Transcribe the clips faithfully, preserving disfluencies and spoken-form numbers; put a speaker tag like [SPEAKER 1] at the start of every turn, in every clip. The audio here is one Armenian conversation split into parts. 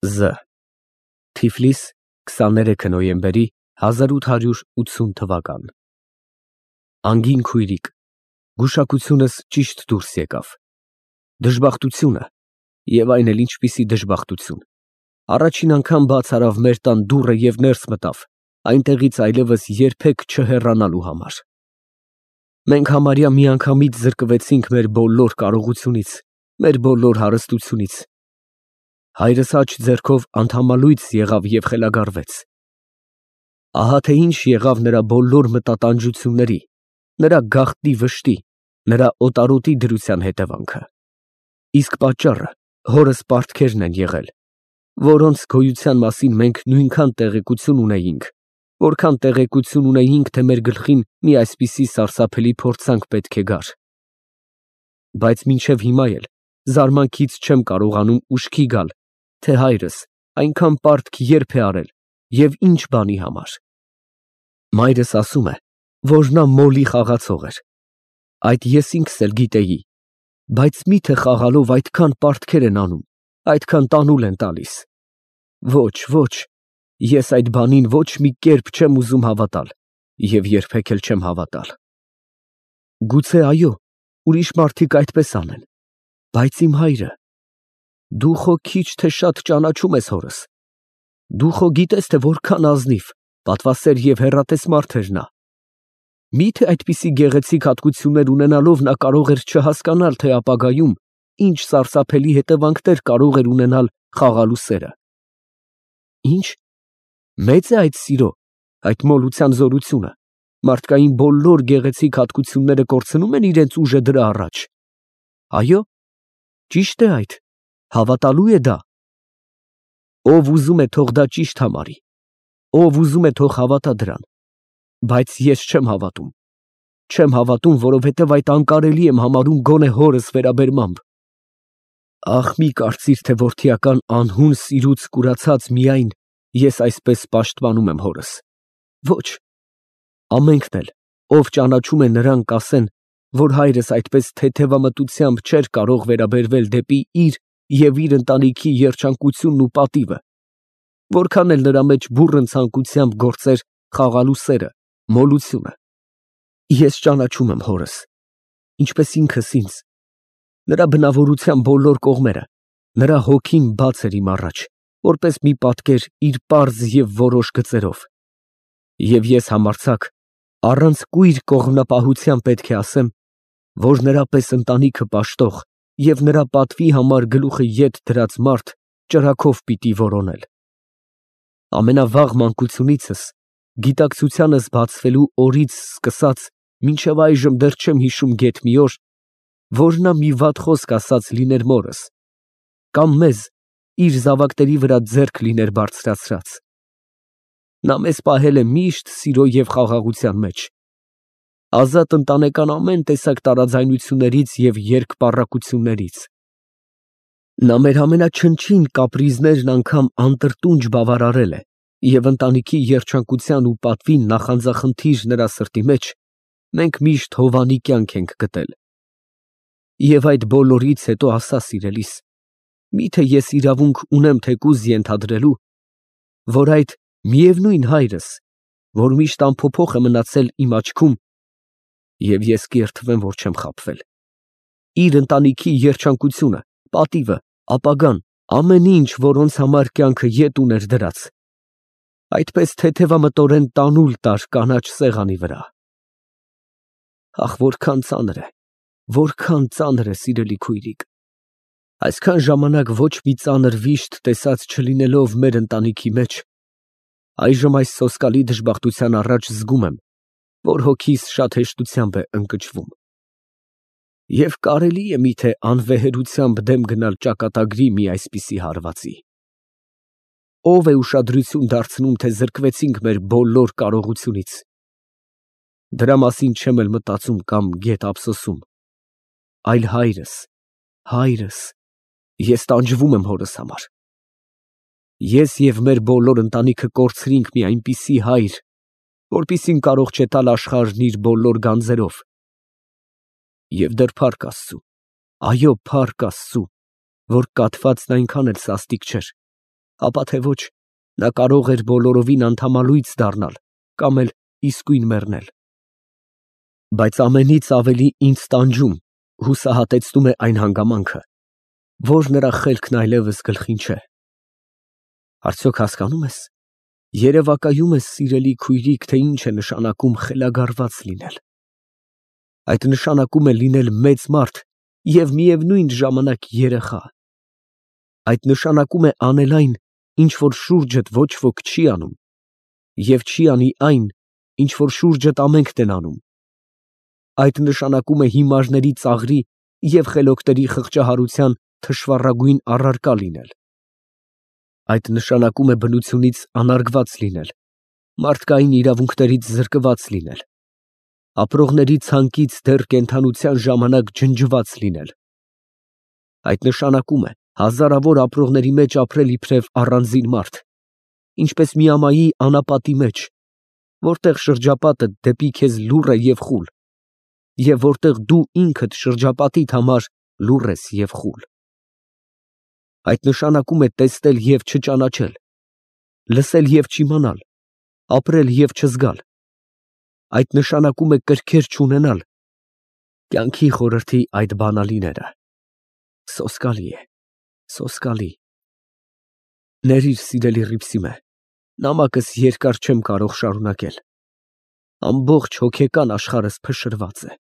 [SPEAKER 1] Զ Թիֆլիս քսաներեքը նոյեմբերի հազար ութ հարյուր ութսուն թվական Անգին քույրիկ, գուշակությունս ճիշտ դուրս եկավ, դժբախտությունը և այն էլ ինչպիսի դժբախտություն, առաջին անգամ բաց արավ մեր տան դուռը և ներս մտավ, այնտեղից այլևս երբեք չհեռանալու համար։ Մենք համարյա միանգամից զրկվեցինք մեր բոլոր կարողությունից, մեր բոլոր հարստությունից։ Հայրս աջ ձեռքով անդամալույծ եղավ և խելագարվեց։ Ահա թե ինչ եղավ նրա բոլոր մտատանջությունների, նրա գաղտնի վշտի, նրա օտարոտի դրության հետևանքը։ Իսկ պատճառը հորս պարտքերն են եղել, որոնց գոյության մասին մենք նույնքան տեղեկություն ունեինք, որքան տեղեկություն ունեինք, թե մեր գլխին մի այսպիսի սարսափելի փորձանք պետք է գար։ Բայց մինչև հիմա էլ զարմանքից չեմ կարողանում ուշքի գալ, թե հայրս այնքան պարտք երբ է արել և ինչ բանի համար։ Մայրս ասում է, որ նա մոլի խաղացող էր։ Այդ ես ինքս էլ գիտեի, բայց մի՞թե խաղալով այդքան պարտքեր են անում, այդքան տանուլ են տալիս։ Ոչ, ոչ, ես այդ բանին ոչ մի կերպ չեմ ուզում հավատալ և երբեք էլ չեմ հավատալ։ Գուցե այո, ուրիշ մարդիկ այդպես անեն, բայց իմ հայրը… Դու խո քիչ թե շատ ճանաչում ես հորս, դու խո գիտես, թե որքան ազնիվ, պատվասեր և հեռատես մարդ էր նա։ Մի՞թե այդպիսի գեղեցիկ հատկություններ ունենալով նա կարող էր չհասկանալ, թե ապագայում ինչ սարսափելի հետևանքներ կարող էր ունենալ խաղալու սերը։ Ի՞նչ, մե՞ծ է այդ սիրո, այդ մոլության զորությունը, մարդկային բոլոր գեղեցիկ հատկությունները կորցնում են իրենց ուժը դրա առաջ։ Այո՞, ճիշտ է այդ, հավատալու է դա։ Ով ուզում է, թող դա ճիշտ համարի, ով ուզում է, թող հավատա դրան, բայց ես չեմ հավատում, չեմ հավատում, որովհետև այդ անկարելի եմ համարում գոնե հորս վերաբերմամբ։ Ախ, մի կարծիր, թե որդիական անհուն սիրուց կուրացած միայն ես այսպես պաշտպանում եմ հորս։ Ոչ, ամենքն էլ, ով ճանաչում է նրան, կասեն, որ հայրս այդպես թեթևամտությամբ չէր կարող վերաբերվել դեպի իր և իր ընտանիքի երջանկությունն ու պատիվը, որքան էլ նրա մեջ բուռն ցանկությամբ գործեր խաղալու սերը, մոլությունը։ Ես ճանաչում եմ հորս, ինչպես ինքս ինձ, նրա բնավորության բոլոր կողմերը, նրա հոգին բաց էր իմ առաջ, որպես մի պատկեր իր պարզ և որոշ գծերով։ Եվ ես համարձակ, առանց կույր կողմնապահության պետք է ասեմ, որ նրա պես ընտանիքը պաշտող և նրա պատվի համար գլուխը ետ դրած մարդ ճրագով պիտի որոնել։ Ամենավաղ մանկությունիցս, գիտակցությանս բացվելու օրից սկսած մինչև այժմ դեռ չեմ հիշում գեթ մի օր, որ նա մի վատ խոսք ասած լիներ մորս, կամ մեզ իր զավակների վրա ձեռք լիներ բարձրացրած։ Նա մեզ պահել է միշտ սիրո և խաղաղության մեջ, ազատ ընտանեկան ամեն տեսակ տարաձայնություններից և երկպառակություններից։ Նա մեր ամենաչնչին կապրիզներն անգամ անտրտունջ բավարարել է և ընտանիքի երջանկության ու պատվին նախանձախնդիր նրա սրտի մեջ մենք միշտ հովանի կյանք ենք գտել։ Եվ այդ բոլորից հետո ասա, սիրելիս, մի՞թե ես իրավունք ունեմ թեկուզ ենթադրելու, որ այդ միևնույն հայրս, որ միշտ անփոփոխ է մնացել իմ աչքում, և ես կերդվեմ, որ չեմ խաբվել, իր ընտանիքի երջանկությունը, պատիվը, ապագան, ամեն ինչ, որոնց համար կյանքը ետ ուներ դրած, այդպես թեթևամտորեն տանուլ տար կանաչ սեղանի վրա։ Ախ, որքան ծանր է, որքան ծանր է, սիրելի քույրիկ, այսքան ժամանակ ոչ մի ծանր վիշտ տեսած չլինելով մեր ընտանիքի մեջ, այժմ այս սոսկալի դժբախտության առաջ զգում եմ, որ հոգիս շատ հեշտությամբ է ընկճվում։ Եվ կարելի է մի՞թե անվեհերությամբ դեմ գնալ ճակատագրի մի այսպիսի հարվածի։ Ո՞վ է ուշադրություն դարձնում, թե զրկվեցինք մեր բոլոր կարողությունից։ Դրա մասին չեմ էլ մտածում կամ գեթ ափսոսում, այլ հայրս, հայրս, ես տանջվում եմ հորս համար։ Ես և մեր բոլոր ընտանիքը կորցրինք մի այնպիսի հայր, որպիսին կարող չէ տալ աշխարհն իր բոլոր գանձերով։ Եվ դեռ փառք Աստծու, այո, փառք Աստծու, որ կաթվածն այնքան էլ սաստիկ չէր, ապա թե ոչ, նա կարող էր բոլորովին անդամալույծ դառնալ կամ էլ իսկույն մեռնել։ Բայց ամենից ավելի ինձ տանջում, հուսահատեցնում է այն հանգամանքը, որ նրա խելքն այլևս գլխին չէ։ Արդյոք հասկանում ես, երևակայում ես, սիրելի քույրիկ, թե ինչ է նշանակում խելագարված լինել։ Այդ նշանակում է լինել մեծ մարդ և միևնույն ժամանակ երեխա։ Այդ նշանակում է անել այն, ինչ որ շուրջդ ոչ ոք չի անում, և չի անի այն, ինչ որ շուրջդ ամենքն են անում։ Այդ նշանակում է հիմարների ծաղրի և խելոքների խղճահարության թշվառագույն առարկա լինել։ Այդ նշանակում է բնությունից անարգված լինել, մարդկային իրավունքներից զրկված լինել, ապրողների ցանկից դեռ կենդանության ժամանակ ջնջված լինել։ Այդ նշանակում է հազարավոր ապրողների մեջ ապրել իբրև առանձին մարդ, ինչպես միամայի անապատի մեջ, որտեղ շրջապատը դեպի քեզ լուռ է և խուլ, և որտեղ դու ինքդ շրջապատիդ համար լուռ ես և խուլ։ Այդ նշանակում է տեսնել և չճանաչել, լսել և չիմանալ, ապրել և չզգալ։ Այդ նշանակում է կրքեր չունենալ, կյանքի խորհրդի այդ բանալիները։ Սոսկալի է, սոսկալի։ Ներիր, սիրելի Հռիփսիմե, նամակս երկար չեմ կարող շարունակել։ Ամբողջ հոգեկան աշխարհս փշրված է։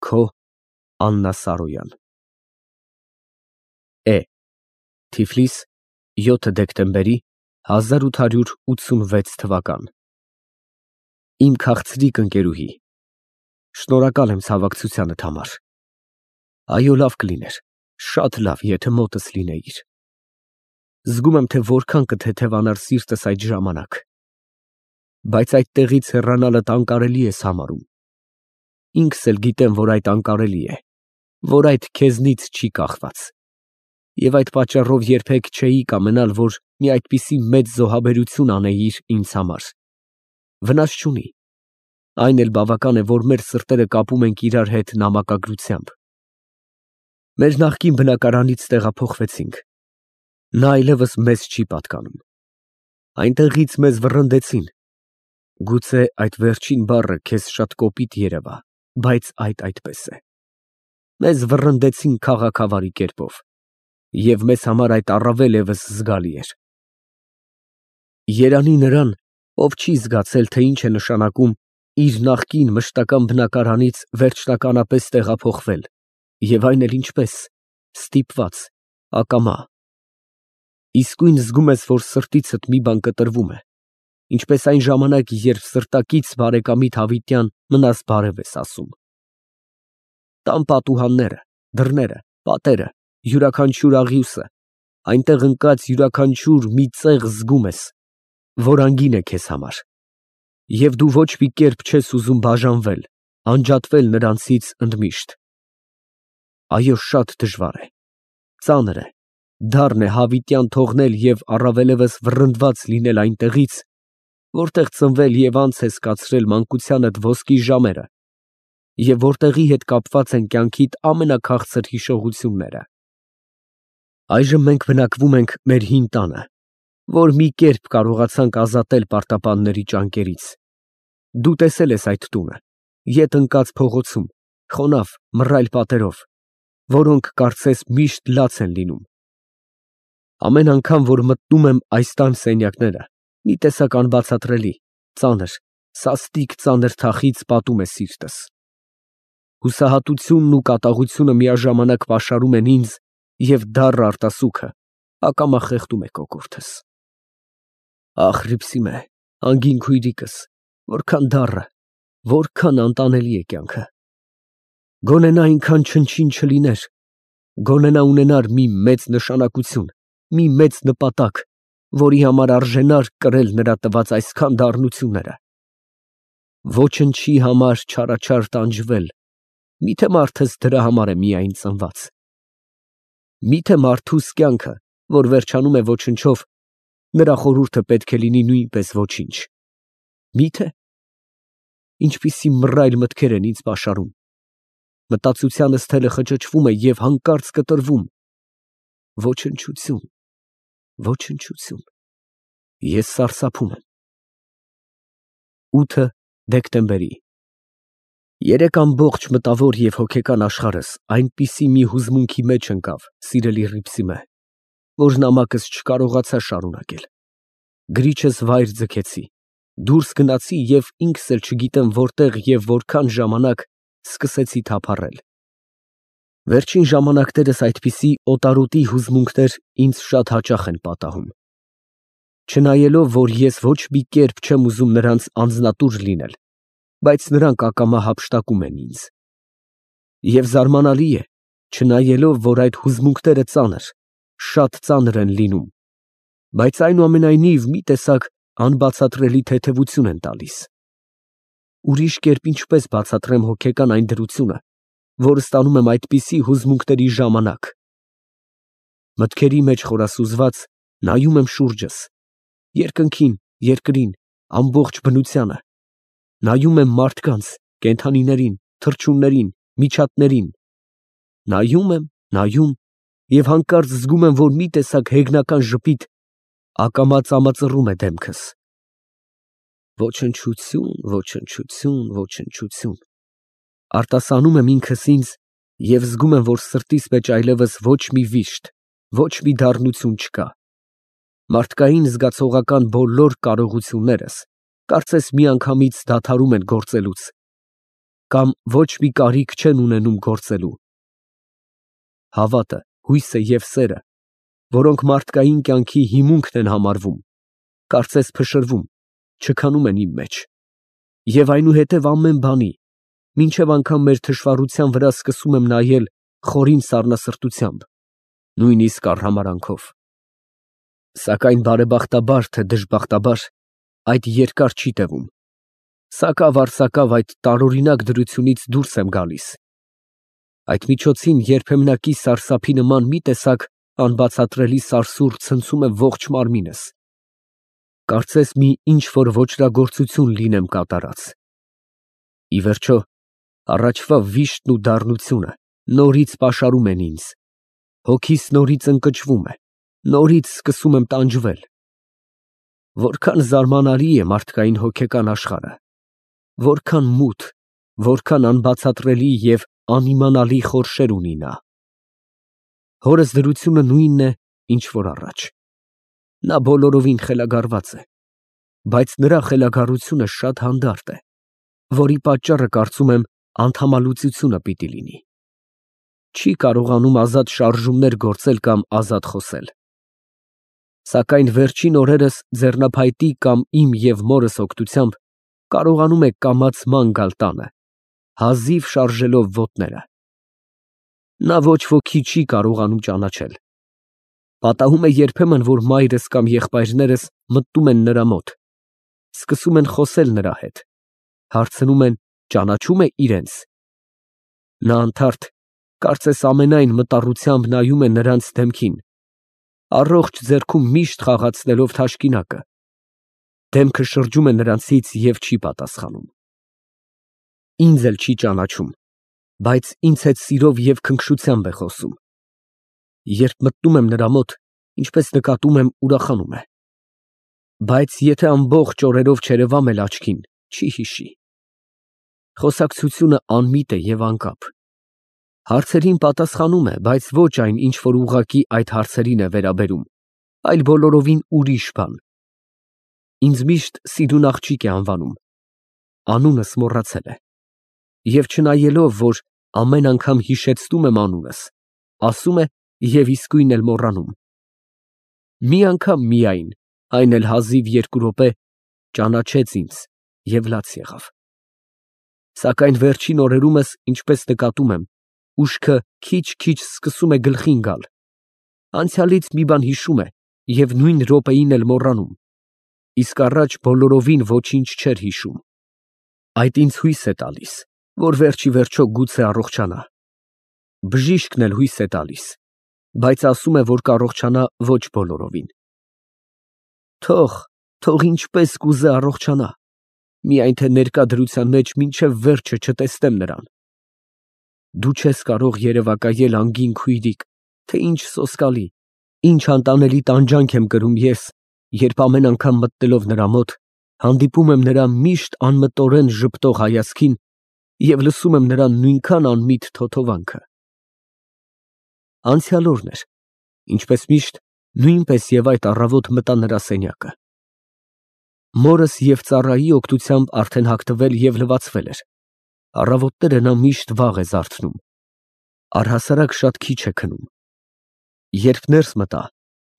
[SPEAKER 1] Քո Աննա Սարոյան։ Է Թիֆլիս, յոթ դեկտեմբերի հազար ութ հարյուր ութսունվեց թվական։ Իմ քաղցրիկ ընկերուհի, շնորհակալ եմ ցավակցությանդ համար։ Այո, լավ կլիներ, շատ լավ, եթե մոտս լինեիր։ Զգում եմ, թե որքան կթեթևանար սիրտս այդ ժամանակ։ Բայց այդտեղից հեռանալդ անկարելի ես համարում։ Ինքս էլ գիտեմ, որ այդ անկարելի է, որ այդ քեզնից չի կախված։ Եվ այդ պատճառով երբեք չէի կամենալ, որ մի այդպիսի մեծ զոհաբերություն անեիր ինձ համար։ Վնաս չունի։ Այն էլ բավական է, որ մեր սրտերը կապում ենք իրար հետ նամակագրությամբ։ Մեր նախկին բնակարանից տեղափոխվեցինք։ Նա այլևս մեզ չի պատկանում։ Այնտեղից մեզ վռնդեցին։ Գուցե այդ վերջին բառը քեզ շատ կոպիտ երևա, բայց այդ այդպես է։ Մեզ վռնդեցին քաղաքավարի կերպով, և մեզ համար այդ առավել ևս զգալի էր։ Երանի նրան, ով չի զգացել, թե ինչ է նշանակում իր նախկին մշտական բնակարանից վերջնականապես տեղափոխվել, և այն էլ ինչպես, ստիպված, ակամա։ Իսկույն զգում ես, որ սրտիցդ մի բան կտրվում է, ինչպես այն ժամանակ, երբ սրտակից բարեկամիդ հավիտյան մնաս բարև ես ասում։ Տան պատուհանները, դռները, պատերը, յուրաքանչյուր աղյուսը, այնտեղ ընկած յուրաքանչյուր մի ծեղ զգում ես, որ անգին է քեզ համար, և դու ոչ մի կերպ չես ուզում բաժանվել, անջատվել նրանցից ընդմիշտ։ Այո, շատ դժվար է, ծանր է, դառն է հավիտյան թողնել և առավելևս վռնդված լինել այնտեղից, որտեղ ծնվել և անց ես կացրել մանկությանդ ոսկի ժամերը, և որտեղի հետ կապված են կյանքիդ ամենաքաղցր հիշողությունները։ Այժմ մենք բնակվում ենք մեր հին տանը, որ մի կերպ կարողացանք ազատել պարտապանների ճանկերից։ Դու տեսել ես այդ տունը, ետ ընկած փողոցում, խոնավ, մռայլ պատերով, որոնք կարծես միշտ լաց են լինում։ Ամեն անգամ, որ մտնում եմ այս տան սենյակները, մի տեսակ անբացատրելի, ծանր, սաստիկ ծանր թախիծ պատում է սիրտս։ Հուսահատությունն ու կատաղությունը միաժամանակ պաշարում են ինձ, և դառը արտասուքը ակամա խեղդում է կոկորդս։ Ախ, Հռիփսիմե, անգին քույրիկս, որքան դառը, որքան անտանելի է կյանքը։ Գոնե նա այնքան չնչին չլիներ, գոնե նա ունենար մի մեծ նշանակություն, մի մեծ նպատակ, որի համար արժենար կրել նրա տված այսքան դառնությունները։ Ոչնչի համար չարաչար տանջվել, միթե մարդս դրա համար է միայն ծնված։ Միթե մարդուս կյանքը, որ վերջանում է ոչնչով, նրա խորհուրդը պետք է լինի նույնպես ոչինչ։ Միթե։ Ինչպիսի մռայլ մտքեր են ինձ պաշարում։ Մտածությանս թելը խճճվում է և հանկարծ կտրվում։ Ոչնչություն, Ոչնչություն։ Ես սարսափում եմ։ ութը դեկտեմբերի Երեք ամբողջ մտավոր և հոգեկան աշխարհս այնպիսի մի հուզմունքի մեջ ընկավ, սիրելի Հռիփսիմե, որ նամակս չկարողացա շարունակել։ Գրիչս վայր ձգեցի, դուրս գնացի և ինքս էլ չգիտեմ որտեղ և որքան ժամանակ սկսեցի թափառել։ Վերջին ժամանակներս այդպիսի օտարոտի հուզմունքներ ինձ շատ հաճախ են պատահում։ Չնայելով, որ ես ոչ մի կերպ չեմ ուզում նրանց անձնատուր լինել, բայց նրանք ակամա հափշտակում են ինձ։ Եվ զարմանալի է, չնայելով, որ այդ հուզմունքները ծանր, շատ ծանր են լինում, բայց այնուամենայնիվ մի տեսակ անբացատրելի թեթևություն են տալիս։ Ուրիշ կերպ ինչպես բացատրեմ հոգեկան այն դրությունը, որը ստանում եմ այդպիսի հուզմունքների ժամանակ։ Մտքերի մեջ խորասուզված նայում եմ շուրջս, երկնքին, երկրին, ամբողջ բնությանը, նայում եմ մարդկանց, կենդանիներին, թռչուններին, միջատներին, նայում եմ, նայում և հանկարծ զգում եմ, որ մի տեսակ հեգնական ժպիտ ակամա ծամածռում է դեմքս։ Ոչնչություն, ոչնչություն, ոչնչություն, արտասանում եմ ինքս ինձ և զգում եմ, որ սրտիս մեջ այլևս ոչ մի վիշտ, ոչ մի դառնություն չկա։ Մարդկային զգացողական բոլոր կարողություններս կարծես միանգամից դադարում են գործելուց, կամ ոչ մի կարիք չեն ունենում գործելու։ Հավատը, հույսը և սերը, որոնք մարդկային կյանքի հիմունքն են համարվում, կարծես փշրվում, չքանում են իմ մեջ, և այնուհետև ամեն բանի, մինչև անգամ մեր թշվառության վրա սկսում եմ նայել խորին սառնասրտությամբ, նույնիսկ արհամարհանքով։ Սակայն բարեբախտաբար, թե դժբախտաբար, այդ երկար չի տևում, սակավ֊առ֊սակավ այդ տարօրինակ դրությունից դուրս եմ գալիս։ Այդ միջոցին երբեմնակի սարսափի նման մի տեսակ անբացատրելի սարսուռ ցնցում է ողջ մարմինս, կարծես մի ինչ֊որ ոճրագործություն լինեմ կատարած։ Ի վերջո, առաջվա վիշտն ու դառնությունը նորից պաշարում են ինձ, հոգիս նորից ընկճվում է, նորից սկսում եմ տանջվել։ Որքան զարմանալի է մարդկային հոգեկան աշխարհը, որքան մութ, որքան անբացատրելի և անիմանալի խորշեր ունի նա։ Հորս դրությունը նույնն է, ինչ որ առաջ։ Նա բոլորովին խելագարված է, բայց նրա խելագարությունը շատ հանդարտ է, որի պատճառը, կարծում եմ, անդամալուծությունը պիտի լինի։ Չի կարողանում ազատ շարժումներ գործել կամ ազատ խոսել։ Սակայն վերջին օրերս ձեռնափայտի կամ իմ և մորս օգնությամբ կարողանում է կամաց ման գալ տանը, հազիվ շարժելով ոտները։ Նա ոչ ոքի չի կարողանում ճանաչել։ Պատահում է երբեմն, որ մայրս կամ եղբայրներս մտնում են նրա մոտ, սկսում են խոսել նրա հետ, հարցնում են, ճանաչո՞ւմ է իրենց։ Նա անթարթ, կարծես ամենայն մտառությամբ նայում է նրանց դեմքին, առողջ ձեռքում միշտ խաղացնելով թաշկինակը, դեմքը շրջում է նրանցից և չի պատասխանում։ Ինձ էլ չի ճանաչում, բայց ինձ հետ սիրով և քնքշությամբ է խոսում։ Երբ մտնում եմ նրա մոտ, ինչպես նկատում եմ, ուրախանում է։ Բայց եթե ամբողջ օրերով չերևամ էլ աչքին, չի հիշի։ Խոսակցությունը անմիտ է և անկապ։ Հարցերին պատասխանում է, բայց ոչ այն, ինչ որ ուղղակի այդ հարցերին է վերաբերում, այլ բոլորովին ուրիշ բան։ Ինձ միշտ սիրուն աղջիկ է անվանում, անունս մոռացել է։ Եվ չնայելով, որ ամեն անգամ հիշեցնում եմ անունս, ասում է և իսկույն էլ մոռանում։ Մի անգամ միայն, այն էլ հազիվ երկու րոպե, ճանաչեց ինձ և լաց եղավ։ Սակայն վերջին օրերումս, ինչպես նկատում եմ, ուշքը քիչ֊քիչ սկսում է գլխին գալ, անցյալից մի բան հիշում է և նույն րոպեին էլ մոռանում, իսկ առաջ բոլորովին ոչինչ չէր հիշում։ Այդ ինձ հույս է տալիս, որ վերջ ի վերջո գուցե առողջանա։ Բժիշկն էլ հույս է տալիս, բայց ասում է, որ կառողջանա ոչ բոլորովին։ Թող, թող ինչպես կուզե առողջանա, միայն թե ներկա դրության մեջ մինչև վերջը չտեսնեմ նրան։ Դու չես կարող երևակայել անգին քույրիկ, թե ինչ սոսկալի, Ինչ անտանելի տանջանք եմ կրում ես, երբ ամեն անգամ մտնելով նրա մոտ, հանդիպում եմ նրա միշտ անմտորեն ժպտող հայացքին և լսում եմ նրա նույնքան անմիտ թոթովանքը։ Անցյալ օրն էր, ինչպես միշտ, նույնպես և այդ առավոտ մտա նրա սենյակը։ Մորս և ծառայի օգնությամբ արդեն հագնվել և լվացվել էր, առավոտները նա միշտ վաղ է զարթնում, առհասարակ շատ քիչ է քնում։ Երբ ներս մտա,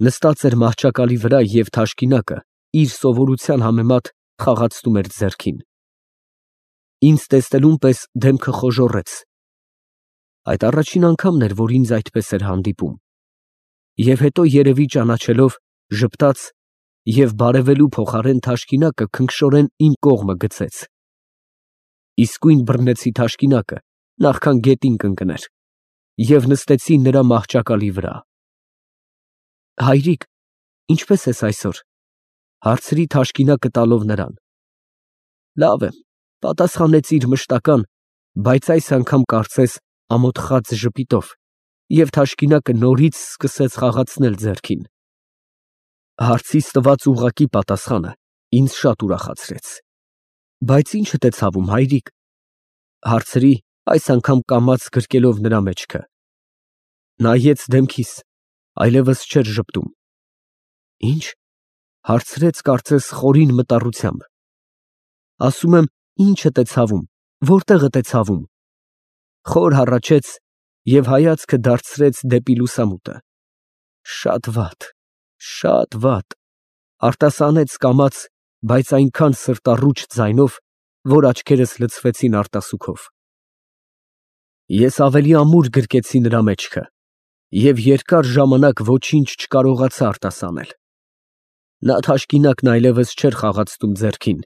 [SPEAKER 1] նստած էր մահճակալի վրա և թաշկինակը իր սովորության համեմատ խաղացնում էր ձեռքին։ Ինձ տեսնելուն պես դեմքը խոժոռեց. այդ առաջին անգամն էր, որ ինձ այդպես էր հանդիպում, և հետո երևի ճանաչելով, ժպտաց և բարևելու փոխարեն թաշկինակը քնքշորեն իմ կողմը գցեց։ Իսկույն բռնեցի թաշկինակը, նախքան գետին կընկներ, և նստեցի նրա մահճակալի վրա։ Հայրիկ, ինչպե՞ս ես այսօր, ֊ հարցրի թաշկինակը տալով նրան։ Լավ եմ, ֊ պատասխանեց իր մշտական, բայց այս անգամ կարծես ամոթխած ժպիտով, և թաշկինակը նորից սկսեց խաղացնել ձեռքին։ Հարցիս տված ուղղակի պատասխանը ինձ շատ ուրախացրեց։ Բայց ի՞նչդ է ցավում, հայրիկ, ֊ հարցրի, այս անգամ կամաց գրկելով նրա մեջքը։ Նայեց դեմքիս, այլևս չէր ժպտում։ Ի՞նչ, ֊ հարցրեց կարծես խորին մտառությամբ։ Ասում եմ, ի՞նչդ է ցավում, որտեղդ է ցավում։ Խոր հառաչեց և հայացքը դարձրեց դեպի լուսամուտը։ Շատ վատ, շատ վատ, ֊ արտասանեց կամաց, բայց այնքան սրտառուչ ձայնով, որ աչքերս լցվեցին արտասուքով։ Ես ավելի ամուր գրկեցի նրա մեջքը և երկար ժամանակ ոչինչ չկարողացա արտասանել։ Նա թաշկինակն այլևս չէր խաղացնում ձեռքին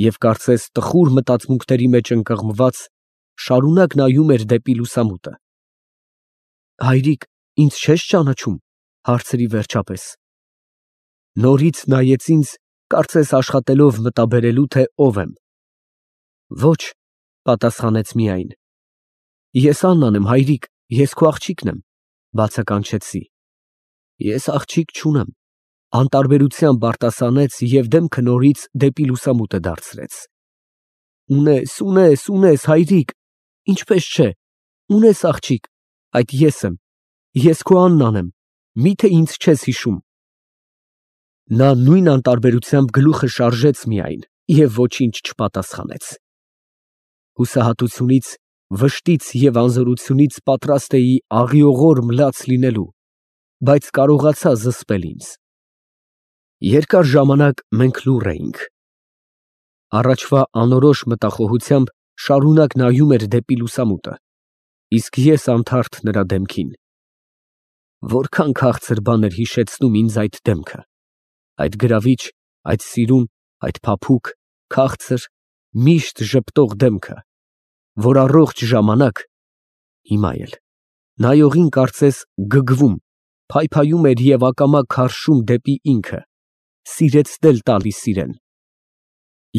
[SPEAKER 1] և կարծես տխուր մտածմունքների մեջ ընկղմված, շարունակ նայում էր դեպի լուսամուտը։ Հայրիկ, ինձ չե՞ս ճանաչում, ֊ հարցրի վերջապես։ Նորից նայեց ինձ, կարծես աշխատելով մտաբերելու, թե ով եմ։ Ոչ, ֊ պատասխանեց միայն։ Ես Աննան եմ, հայրիկ, ես քո աղջիկն եմ, ֊ բացականչեցի։ Ես աղջիկ չունեմ, ֊ անտարբերությամբ արտասանեց և դեմքը նորից դեպի լուսամուտը դարձրեց։ Ունես, ունես, ունես, հայրիկ, ինչպես չէ, ունես աղջիկ, այդ ես եմ, ես քո Աննան եմ, մի՞թե ինձ չես հիշում։ Նա նույն անտարբերությամբ գլուխը շարժեց միայն և ոչինչ չպատասխանեց։ Հուսահատությունից, վշտից և անզորությունից պատրաստ էի աղիողոր մլաց լինելու, բայց կարողացա զսպել ինձ։ Երկար ժամանակ մենք լուռ էինք։ Առաջվա անորոշ մտախոհությամբ շարունակ նայում էր դեպի լուսամուտը, իսկ ես անթարթ նրա դեմքին։ Որքան քաղցր բան էր հիշեցնում ինձ այդ դեմքը, այդ գրավիչ, այդ սիրուն, այդ փափուկ, քաղցր, միշտ ժպտող դեմքը, որ առողջ ժամանակ, հիմա էլ, նայողին կարծես գգվում, փայփայում էր և ակամա քարշում դեպի ինքը, սիրեցնել տալիս իրեն։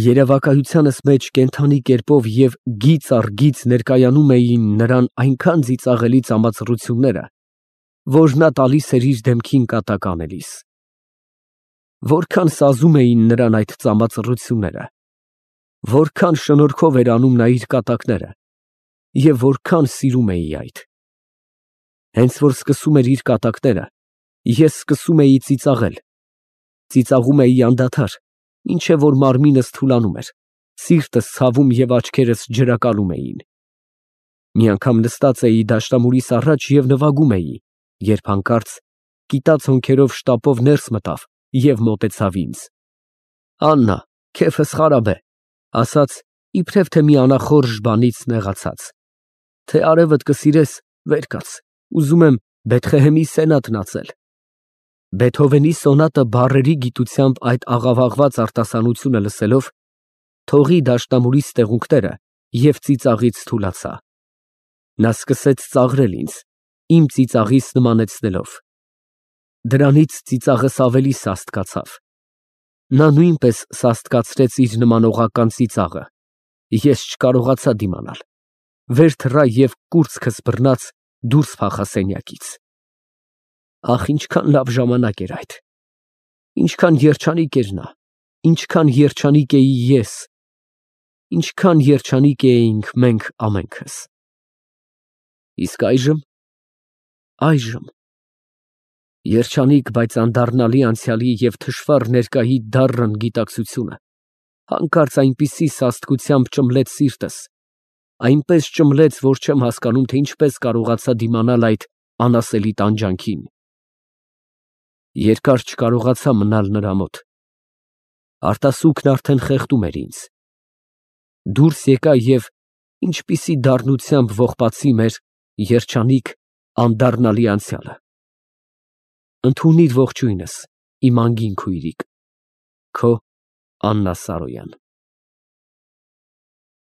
[SPEAKER 1] Երևակայությանս մեջ կենդանի կերպով և գիծ առ գիծ ներկայանում էին նրան այնքան ծիծաղելի ծամացռությունները, որ նա տալիս էր իր դեմքին կատակ անելիս։ Որքան սազում էին նրան այդ ծամացռությունները, որքան շնորհքով էր անում նա իր կատակները և որքան սիրում էի այդ։ Հենց որ սկսում էր իր կատակները, ես սկսում էի ծիծաղել, ծիծաղում էի անդադար, մինչև որ մարմինս թուլանում էր, սիրտս ցավում և աչքերս ջրակալում էին։ Մի անգամ նստած էի դաշնամուրիս առաջ և նվագում էի, երբ հանկարծ կիտած հոնքերով շտապով ներս մտավ և մոտեցավ ինձ։ Աննա, քեֆս խարաբ է, ֊ ասաց, իբրև թե մի անախորժ բանից նեղացած, թե արևդ կսիրես, վեր կաց, ուզում եմ Բեթղեհեմի սենատն ածել։ Բեթհովենի սոնատը բառերի գիտությամբ այդ աղավաղված արտասանությունը լսելով, թողի դաշնամուրիս տեղունքները և ծիծաղից թուլացա։ Նա սկսեց ծաղրել ինձ, իմ ծիծաղիս նմանեցնելով։ Դրանից ծիծաղս ավելի սաստկացավ։ Նա նույնպես սաստկացրեց իր նմանողական ծիծաղը։ Ես չկարողացա դիմանալ, վեր թռա և կուրծքս բռնած դուրս փախա սենյակից։ Ախ, ինչքան լավ ժամանակ էր այդ, ինչքան երջանիկ էր նա, ինչքան երջանիկ էի ես, ինչքան երջանիկ էինք մենք ամենքս։ Իսկ այժմ, այժմ երջանիկ, բայց անդառնալի անցյալի և թշվառ ներկայի դառն գիտակցությունը հանկարծ այնպիսի սաստկությամբ ճմլեց սիրտս, այնպես ճմլեց, որ չեմ հասկանում, թե ինչպես կարողացա դիմանալ այդ անասելի տանջանքին։ Երկար չկարողացա մնալ նրա մոտ, արտասուքն արդեն խեղդում էր ինձ։ Դուրս եկա և ինչպիսի դառնությամբ ողբացի մեր երջանիկ, անդառնալի անցյալը։ Ընդունիր ողջույնս, իմ անգին քույրիկ, քո Աննա Սարոյան։